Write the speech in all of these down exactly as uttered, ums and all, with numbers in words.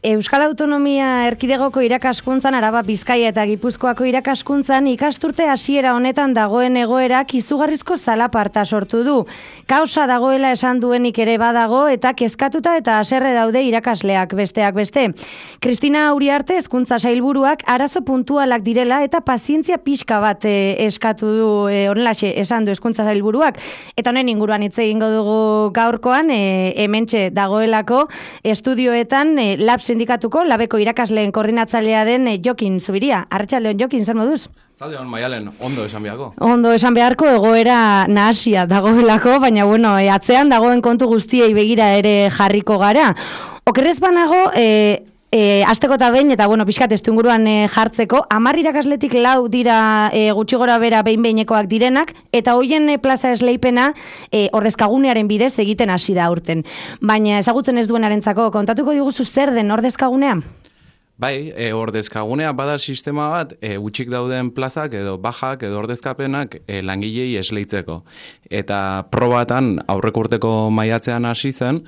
Euskal Autonomia Erkidegoko irakaskuntzan, Araba, Bizkaia eta Gipuzkoako irakaskuntzan ikasturte hasiera honetan dagoen egoerak izugarrizko zalaparta sortu du. Kaosa dagoela esan duenik ere badago eta kezkatuta eta haserre daude irakasleak besteak beste. Kristina Uriarte hezkuntza sailburuak arazo puntualak direla eta pazientzia pixka bat e, eskatu du e, honelaxe esan du hezkuntza sailburuak. Eta honen inguruan hitz egingo dugu gaurkoan, e, hementxe dagoelako estudioetan e, lab sindikatuko labeko irakasleen koordinatzailea den e, Jokin Zubiria. Arratsaldeon Jokin, zer moduz? Zaldeon, Maialen, ondo esan beharko. Ondo esan beharko, egoera nahasia dagoelako, baina bueno, e, atzean dagoen kontu guztiei begira ere jarriko gara. Okerrez banago, e, E, azteko eta behin, eta bueno, pixkat estu inguruan e, jartzeko, hamar irakasletik lau dira e, gutxi gora bera behin-behinekoak direnak, eta hoien e, plaza esleipena e, ordezkagunearen bidez egiten hasi da aurten. Baina ezagutzen ez duenarentzako, kontatuko diguzu zer den ordezkagunea? Bai, e, ordezkagunea bada sistema bat, e, gutxik dauden plazak edo bajak edo ordezkapenak e, langilei esleitzeko. Eta probatan aurreko urteko maiatzean hasi zen,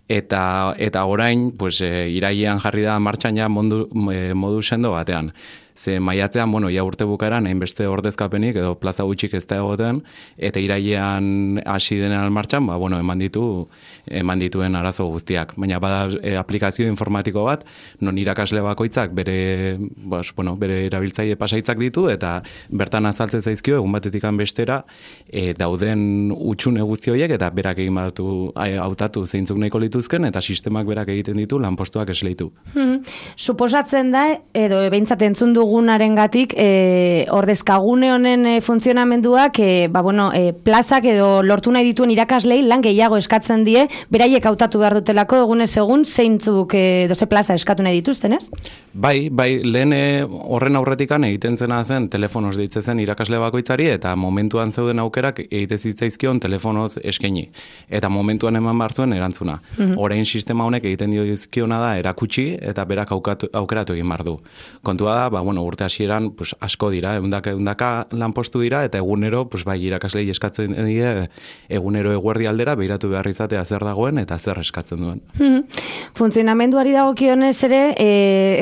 Eta eta orain, pues, e, irailean jarri da martxan ja modu, e, modu sendo batean. Ze maiatzean, bueno, ja urte bukaeran, hainbeste ordezkapenik edo plaza gutxik ez da egoten, eta irailean hasi denean martxan, ba, bueno, eman ditu, eman dituen arazo guztiak. Baina bada e, aplikazio informatiko bat, non irakasle bakoitzak bere, bas, bueno, bere erabiltzaile pasaitzak ditu, eta bertan azaltzen zaizkio, egun batetikan bestera, e, dauden utxune guzti horiek, eta berak egin batu, hautatu zeintzuk nahiko lituzken, eta sistemak berak egiten ditu lanpostuak esleitu. Hmm. Suposatzen da, edo behintzat entzun du dugunarengatik e, ordezkagune honen e, funtzionamenduak e, ba, bueno, e, plazak edo lortu nahi dituen irakaslei lan gehiago eskatzen die, beraiek hautatu behar dutelako egunez egun zeintzuk e, doze plaza eskatu nahi dituzten, ez? Bai, bai, lehen horren aurretikan egiten zena zen telefonoz deitzen irakasle bakoitzari eta momentuan zeuden aukerak egite zitzaizkion telefonoz eskaini. Eta momentuan eman behar zuen erantzuna. Mm-hmm. Orain sistema honek egiten dio dizkiona da erakutsi eta berak aukatu, aukeratu egin behar du. Kontua da, ba, bueno, urte hasieran pues, asko dira, eundaka, eundaka lanpostu dira, eta egunero, pues, bai, irakaslei eskatzen die, egunero eguerdi aldera, behiratu behar izatea zer dagoen, eta zer eskatzen duen. Hmm. Funtzionamenduari dagokionez ere, e,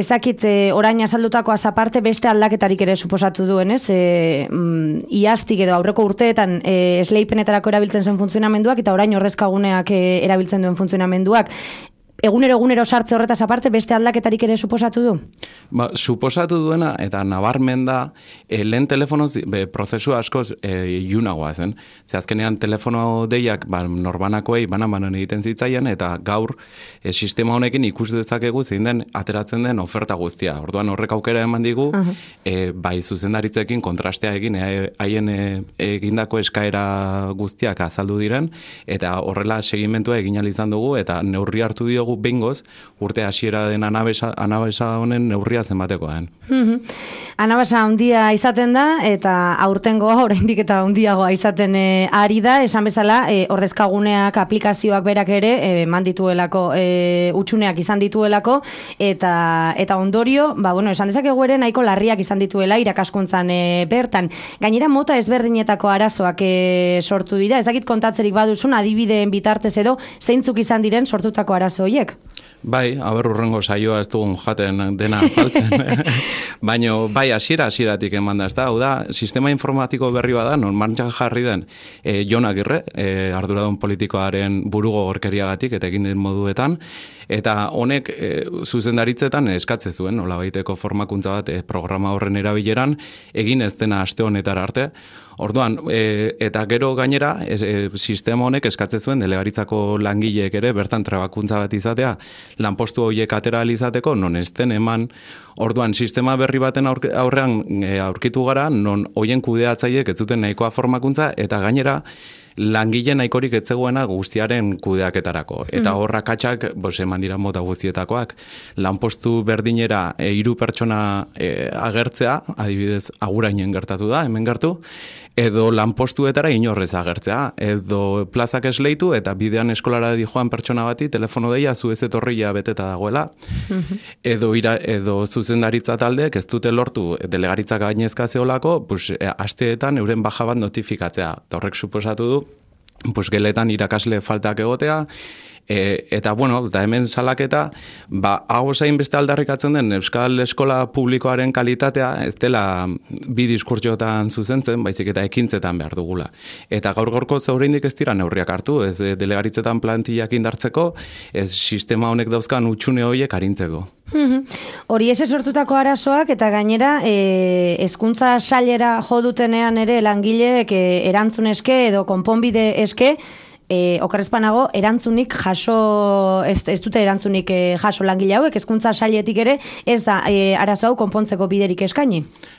ezakit e, orain azaldutako azaparte beste aldaketarik ere suposatu duen, ez? E, mm, iaztik edo aurreko urteetan e, esleipenetarako erabiltzen zen funtzionamenduak, eta orain ordezkaguneak e, erabiltzen duen funtzionamenduak. Egunero egunero sartze horretaz aparte beste aldaketarik ere suposatu du? Ba, suposatu duena eta nabarmen da e, lehen telefonoz be, prozesu askoz e, iunagoa zen. Ze azkenean telefono deiak ba, norbanakoei banan-banan egiten zitzaien eta gaur e, sistema honekin ikus dezakegu zein den ateratzen den oferta guztia. Orduan horrek aukera eman digu uh-huh. e, bai zuzendaritzekin kontrastea egin haien e, egindako eskaera guztiak azaldu diren eta horrela segimentua egin ahal izan dugu eta neurri hartu diogu bengoz, urte hasiera den anabesa, anabesa honen neurria zenbatekoa den. Mm-hmm. Anabasa handia izaten da, eta aurtengoa oraindik eta handiagoa izaten e, ari da, esan bezala, e, ordezkaguneak aplikazioak berak ere, e, mandituelako, e, utxuneak izan dituelako, eta eta ondorio, ba, bueno, esan dezakegu ere nahiko larriak izan dituela irakaskuntzan e, bertan. Gainera mota ezberdinetako arazoak e, sortu dira, ez dakit kontatzerik baduzun, adibideen bitartez edo, zeintzuk izan diren sortutako arazo horiek? Bai, aber urrengo saioa ez dugun jaten dena azaltzen. Baina, bai, hasiera hasieratik eman da, ez da? Hau da, sistema informatiko berri bada, non martxan jarri den e, Jon Agirre, e, arduradun politikoaren burugo gorkeriagatik eta egin den moduetan, eta honek e, zuzendaritzetan eskatze zuen, nola baiteko formakuntza bat e, programa horren erabileran, egin ez dena aste honetara arte. Orduan, e, eta gero gainera, e, e, sistema honek eskatze zuen delegaritzako langileek ere, bertan trebakuntza bat izatea, lanpostu horiek atera izateko, non ez den eman, orduan, sistema berri baten aurrean e, aurkitu gara, non hoien kudeatzaileek ez zuten nahikoa formakuntza, eta gainera, langile nahikorik etzegoena guztiaren kudeaketarako. Eta horra katxak, bos, eman dira mota guztietakoak, lanpostu berdinera e, hiru pertsona e, agertzea, adibidez, agurainen gertatu da, hemen gertu, edo lanpostuetara inorrez agertzea, edo plazak esleitu, eta bidean eskolara di joan pertsona bati, telefono deia, zu ez etorria beteta dagoela, edo, ira, edo zuzendaritza taldeek ez dute lortu delegaritzak gainezka zeolako, pues, e, asteetan euren baja bat notifikatzea. Eta horrek suposatu du, pues, geletan irakasle faltak egotea, E, eta, bueno, eta hemen salaketa, ba, hau zain beste aldarrikatzen den Euskal Eskola Publikoaren kalitatea, ez dela bi diskurtsotan zuzentzen, baizik eta ekintzetan behar dugula. Eta gaur gorko zaureindik ez dira neurriak hartu, ez delegaritzetan plantillak indartzeko, ez sistema honek dauzkan utxune horiek arintzeko. Hori ese sortutako arazoak eta gainera e, hezkuntza sailera jo dutenean ere langileek e, erantzun eske edo konponbide eske E, okerrezpanago, erantzunik jaso, ez, ez dute erantzunik e, jaso langile hauek, hezkuntza sailetik ere, ez da e, arazo hau konpontzeko biderik eskaini.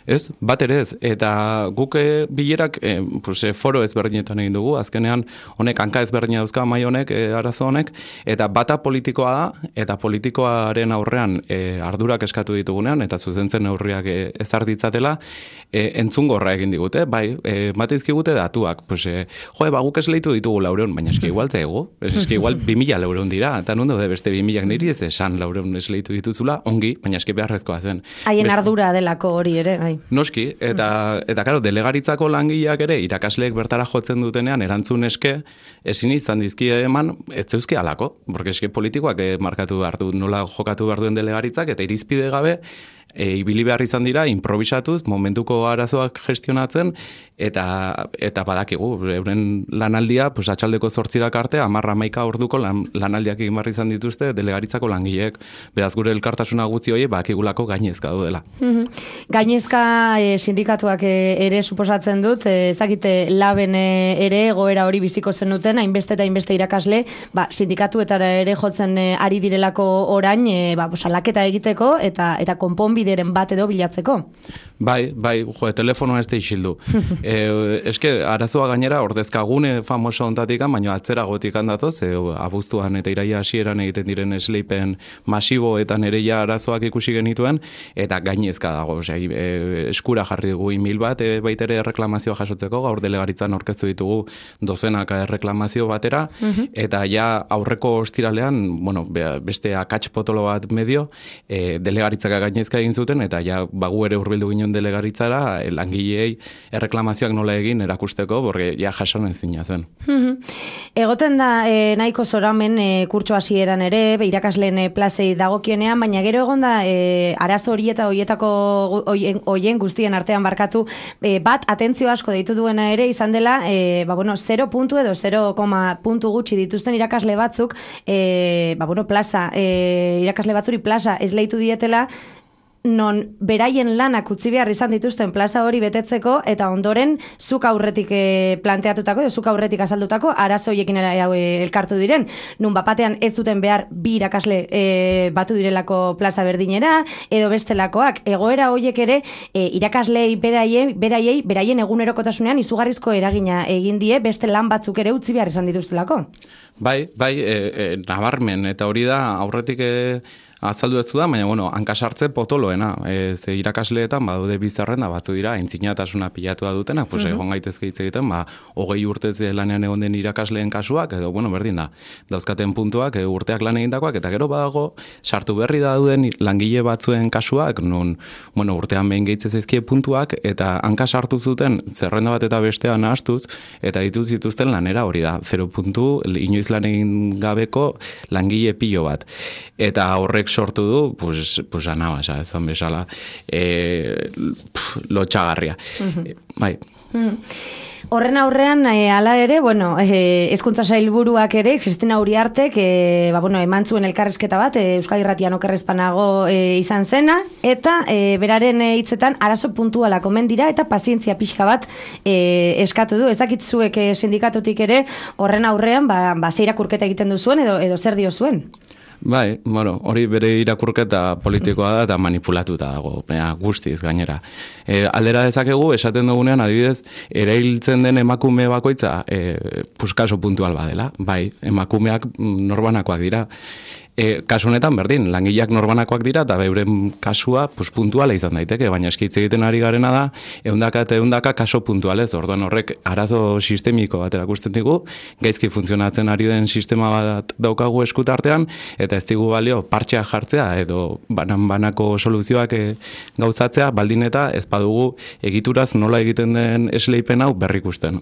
Ez, bat ere ez, eta guk e, bilerak e, pues, e, foro ezberdinetan egin dugu, azkenean honek hanka ezberdina dauzka mai honek, e, arazo honek, eta bata politikoa da, eta politikoaren aurrean e, ardurak eskatu ditugunean, eta zuzentzen neurriak e, ezarditzatela, e, entzungorra egin digute, bai, e, matizkigute datuak, pues, e, joe, ba, guk esleitu ditugu laureun, baina eski igual te ego, eski igual bi mila laureun dira, eta non daude beste bi milak niri ez esan laureun esleitu dituzula, ongi, baina eski beharrezkoa zen. Haien ardura delako hori ere, bai. Noski, eta, eta karo, delegaritzako langileak ere, irakasleek bertara jotzen dutenean, erantzun eske, ezin izan dizkie eman, ez zeuzke alako, porque eski politikoak markatu behar du, nola jokatu behar duen delegaritzak, eta irizpide gabe, E, ibili behar izan dira, improvisatuz, momentuko arazoak gestionatzen, eta eta badakigu, euren lanaldia, pues, atxaldeko zortzirak arte, amarra maika orduko lan, lanaldiak egin behar izan dituzte delegaritzako langileek. Beraz, gure elkartasuna gutzi hori, bakigulako gainezka dudela. Mm-hmm. Gainezka e, sindikatuak e, ere suposatzen dut, e, ezakite laben e, ere egoera hori biziko zenuten, hainbeste eta hainbeste irakasle, ba, sindikatuetara ere jotzen e, ari direlako orain, e, ba, salaketa egiteko, eta, eta konponbi bideren bat edo bilatzeko. Bai, bai, jo, telefonoa ez da isildu. e, eske, arazoa gainera, ordezkagune famoso ontatikan, baina atzera gotik handatoz, e, abuztuan eta iraia hasieran egiten diren esleipen masiboetan ere ja arazoak ikusi genituen, eta gainezka dago, osea, e, eskura jarri dugu email bat, e, baitere erreklamazioa jasotzeko, gaur delegaritzan orkestu ditugu dozenaka erreklamazio batera, eta ja aurreko ostiralean, bueno, beste akats potolo bat medio, e, delegaritzaka gainezka egin zuten, eta ja bagu ere hurbildu ginen delegaritzara, langileei erreklamazioak nola egin erakusteko, porque ja jasan ezina zen. Egoten da e, nahiko zoramen e, kurtso hasieran ere, irakasleen e, plazei dagokienean, baina gero egon da e, arazo hori eta hoietako hoien guztien artean barkatu, e, bat atentzio asko deitu duena ere izan dela, e, ba, bueno, zero puntu edo zero koma puntu gutxi dituzten irakasle batzuk, e, ba, bueno, plaza, e, irakasle batzuri plaza esleitu dietela, non beraien lanak utzi behar izan dituzten plaza hori betetzeko, eta ondoren zuk aurretik e, planteatutako, edo zuk aurretik azaldutako, arazo horiekin e, elkartu diren, nun bapatean ez duten behar bi irakasle e, batu direlako plaza berdinera, edo bestelakoak, egoera horiek ere e, irakaslei beraiei, beraiei, beraien egunerokotasunean izugarrizko eragina egin die, beste lan batzuk ere utzi behar izan dituztelako. Bai, bai, e, e, nabarmen, eta hori da aurretik e, azaldu ez da, baina, bueno, hankasartze potoloena. Ez irakasleetan, badaude bizarren da batzu dira, entzinatasuna pilatua dutena, pues, egon gaitezke hitz egiten, ba, hogei urtez lanean egon den irakasleen kasuak, edo, bueno, berdin da, dauzkaten puntuak, e, urteak lan egindakoak, eta gero badago, sartu berri dauden langile batzuen kasuak, non, bueno, urtean behin gehitzez ezkie puntuak, eta hanka sartu zuten, zerrenda bat eta bestean nahastuz, eta dituz zituzten lanera hori da, zero puntu, inoiz lan egin gabeko langile pilo bat. Eta horrek sortu du, pues, pues anabasa, ezan bezala, e, lotxagarria. Mm-hmm. Bai. Mm. Horren aurrean, e, ala ere, bueno, e, hezkuntza sailburuak ere, Kristina Uriartek, e, ba, bueno, eman zuen elkarrezketa bat, e, Euskadi Irratian okerrezpanago e, izan zena, eta e, beraren hitzetan arazo puntuala komen dira, eta pazientzia pixka bat e, eskatu du. Ez dakit zuek e, sindikatutik ere, horren aurrean, ba, ba ze irakurketa egiten duzuen, edo, edo zer dio zuen? Bai, bueno, hori bere irakurketa politikoa da eta manipulatuta dago, baina guztiz gainera. E, aldera dezakegu, esaten dugunean, adibidez, erailtzen den emakume bakoitza, e, puskaso puntual badela, bai, emakumeak norbanakoak dira. E, kasu honetan berdin, langileak norbanakoak dira eta beuren kasua pues, puntuala izan daiteke, baina eskitze egiten ari garena da ehundaka eta ehundaka kaso puntualez. Orduan horrek arazo sistemiko bat erakusten digu, gaizki funtzionatzen ari den sistema bat daukagu eskutartean eta ez digu balio partxea jartzea edo banan-banako soluzioak e, gauzatzea, baldin eta ez badugu egituraz nola egiten den esleipen hau berrikusten.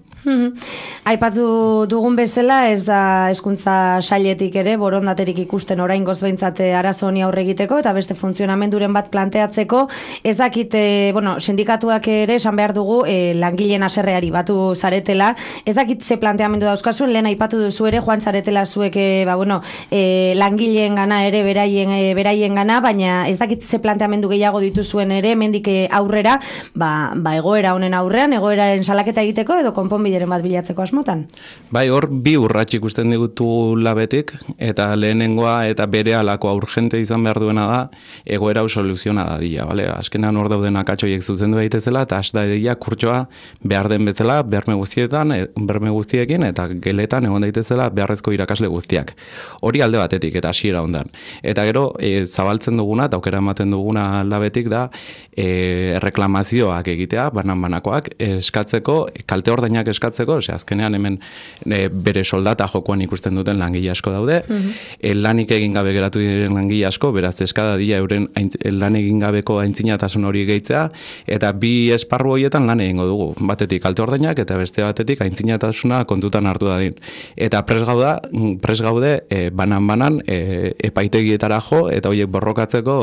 Aipatu dugun bezala ez da hezkuntza sailetik ere borondaterik ikusten oraingoz behintzat arazo honi aurre egiteko eta beste funtzionamenduren bat planteatzeko, ez dakit, e, bueno, sindikatuak ere esan behar dugu e, langileen haserreari batu zaretela, ez dakit ze planteamendu dauzkazuen, lehen aipatu duzu ere, joan zaretela zuek, e, ba, bueno, e, langileen gana ere beraien, e, beraien gana, baina ez dakit ze planteamendu gehiago dituzuen ere, mendik aurrera, ba, ba egoera honen aurrean, egoeraren salaketa egiteko edo konponbideren bat bilatzeko asmotan. Bai, hor bi urrats ikusten digutu labetik, eta lehenengoa eta bere alakoa urgente izan behar duena da, egoera hau soluziona da dira, bale? Azkenean hor dauden akatxoiek zuzendu daitezela, eta hasta edia kurtsoa behar den bezala, berme guztietan, berme guztiekin, eta geletan egon daitezela beharrezko irakasle guztiak. Hori alde batetik, eta hasiera ondan. Eta gero, e, zabaltzen duguna, eta aukera ematen duguna labetik da, e, reklamazioak egitea, banan-banakoak, eskatzeko, kalte ordainak eskatzeko, ose, azkenean hemen e, bere soldata jokoan ikusten duten langile asko daude, mm-hmm. e, lanik egin gabe geratu diren langile asko, beraz eskada dira euren aintz, lan egin gabeko aintzinatasun hori gehitzea, eta bi esparru horietan lan egingo dugu. Batetik kalte ordainak eta beste batetik aintzinatasuna kontutan hartu dadin. Eta pres gauda, pres gaude e, banan-banan e, epaitegietara jo eta horiek borrokatzeko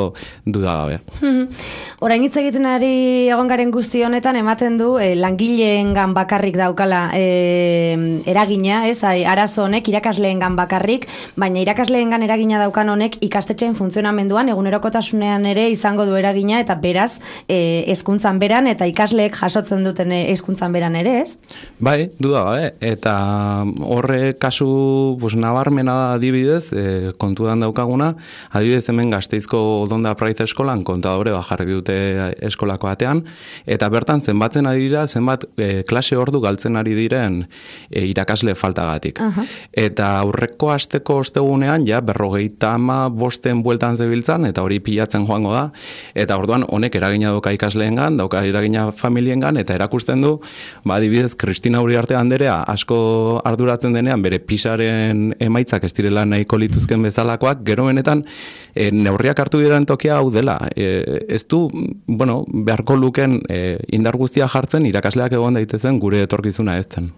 duda gabe. Orain hitz egiten ari egon garen guzti honetan ematen du e, langileengan bakarrik daukala e, eragina, ez, arazo honek irakasleengan bakarrik, baina irakasleengan eragina daukan honek ikastetxeen funtzionamenduan egunerokotasunean ere izango du eragina eta beraz e, hezkuntzan beran eta ikasleek jasotzen duten hezkuntzan beran ere, ez? Bai, duda gabe, eta horre kasu pues, nabarmena da adibidez, e, kontudan daukaguna, adibidez hemen Gasteizko Odonda Praiz eskolan kontadore bajarri dute eskolako batean, eta bertan zenbatzen ari dira, zenbat e, klase ordu galtzen ari diren e, irakasle faltagatik. Uh-huh. Eta aurreko asteko ostegunean, ja, berrogeita ama bosten bueltan zebiltzan, eta hori pilatzen joango da, eta orduan honek eragina dauka ikasleengan, dauka eragina familiengan, eta erakusten du, ba, adibidez, Kristina Uriarte anderea asko arduratzen denean, bere pisaren emaitzak ez direla nahiko lituzken bezalakoak, gero benetan, e, neurriak hartu diren tokia hau dela. E, ez du, bueno, beharko luken e, indar guztia jartzen, irakasleak egon daitezen gure etorkizuna ez zen.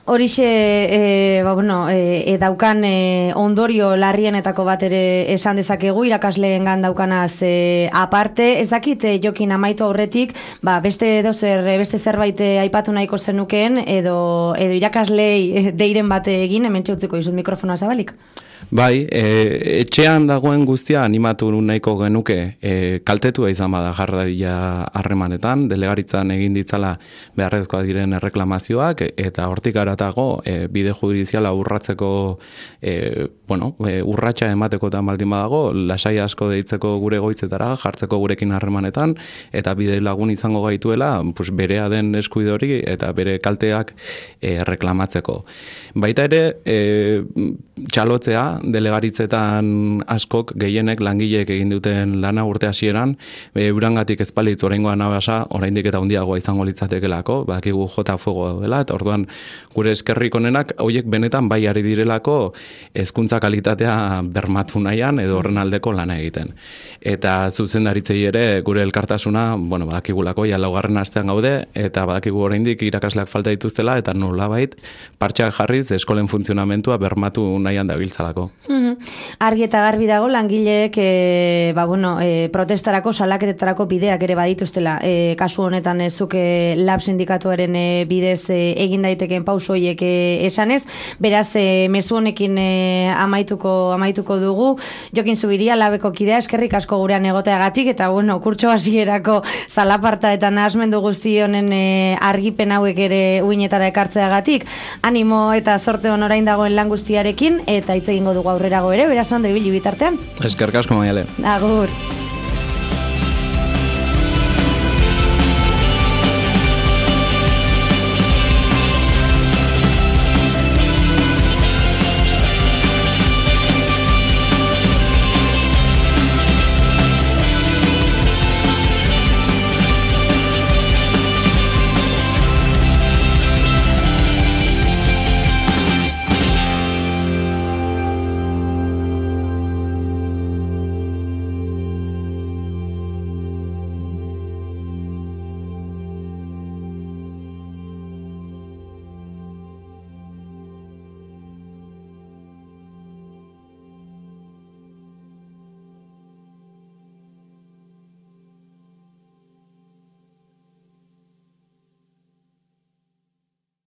Horixe, e, ba, bueno, e, daukan e, ondorio larrienetako bat ere esan dezakegu, irakasleengan daukanaz e, aparte, ez dakit e, Jokin amaitu aurretik, ba, beste edo zer, beste zerbait aipatu nahiko zenukeen, edo, edo irakaslei deiren bate egin, hemen txautziko izut mikrofonoa zabalik. Bai, e, etxean dagoen guztia animatu nahiko genuke e, kaltetua izan bada jarradia harremanetan, delegaritzan egin ditzala beharrezkoa diren erreklamazioak, eta hortik aratago e, bide judiziala urratzeko, e, bueno, e, urratsa ematekotan baldin badago, lasai asko deitzeko gure goitzetara, jartzeko gurekin harremanetan, eta bide lagun izango gaituela, pues, berea den eskuide hori eta bere kalteak e, reklamatzeko. Baita ere, e, txalotzea, delegaritzetan askok gehienek langileek egin duten lana urte hasieran, eurangatik ezpalitz oraingoa nabasa, oraindik eta handiagoa izango litzatekelako, badakigu jota fuego dela, eta orduan gure eskerrik onenak horiek benetan bai ari direlako hezkuntza kalitatea bermatu nahian edo horren aldeko lana egiten. Eta zuzendaritzei ere gure elkartasuna, bueno, badakigulako ja laugarren astean gaude, eta badakigu oraindik irakasleak falta dituztela, eta nolabait partxak jarriz eskolen funtzionamentua bermatu nahian dabiltzalako. Mm-hmm. Argi eta garbi dago langileek e, ba, bueno, e, protestarako, salaketetarako bideak ere badituztela. E, kasu honetan e, zuk e, lab sindikatuaren e, bidez e, egin daiteken pausoiek e, esanez, beraz e, mezu honekin e, amaituko, amaituko dugu. Jokin Zubiria labeko kidea, eskerrik asko gurean egoteagatik, eta bueno, kurtso hasierako zalaparta eta nahasmendu guzti honen e, argipen hauek ere uinetara ekartzeagatik. Animo eta sorte hon orain dagoen lan guztiarekin, eta hitz egingo dugu aurrerago ere, beraz ondo ibili bitartean. Eskerrik asko, Maiale. Agur.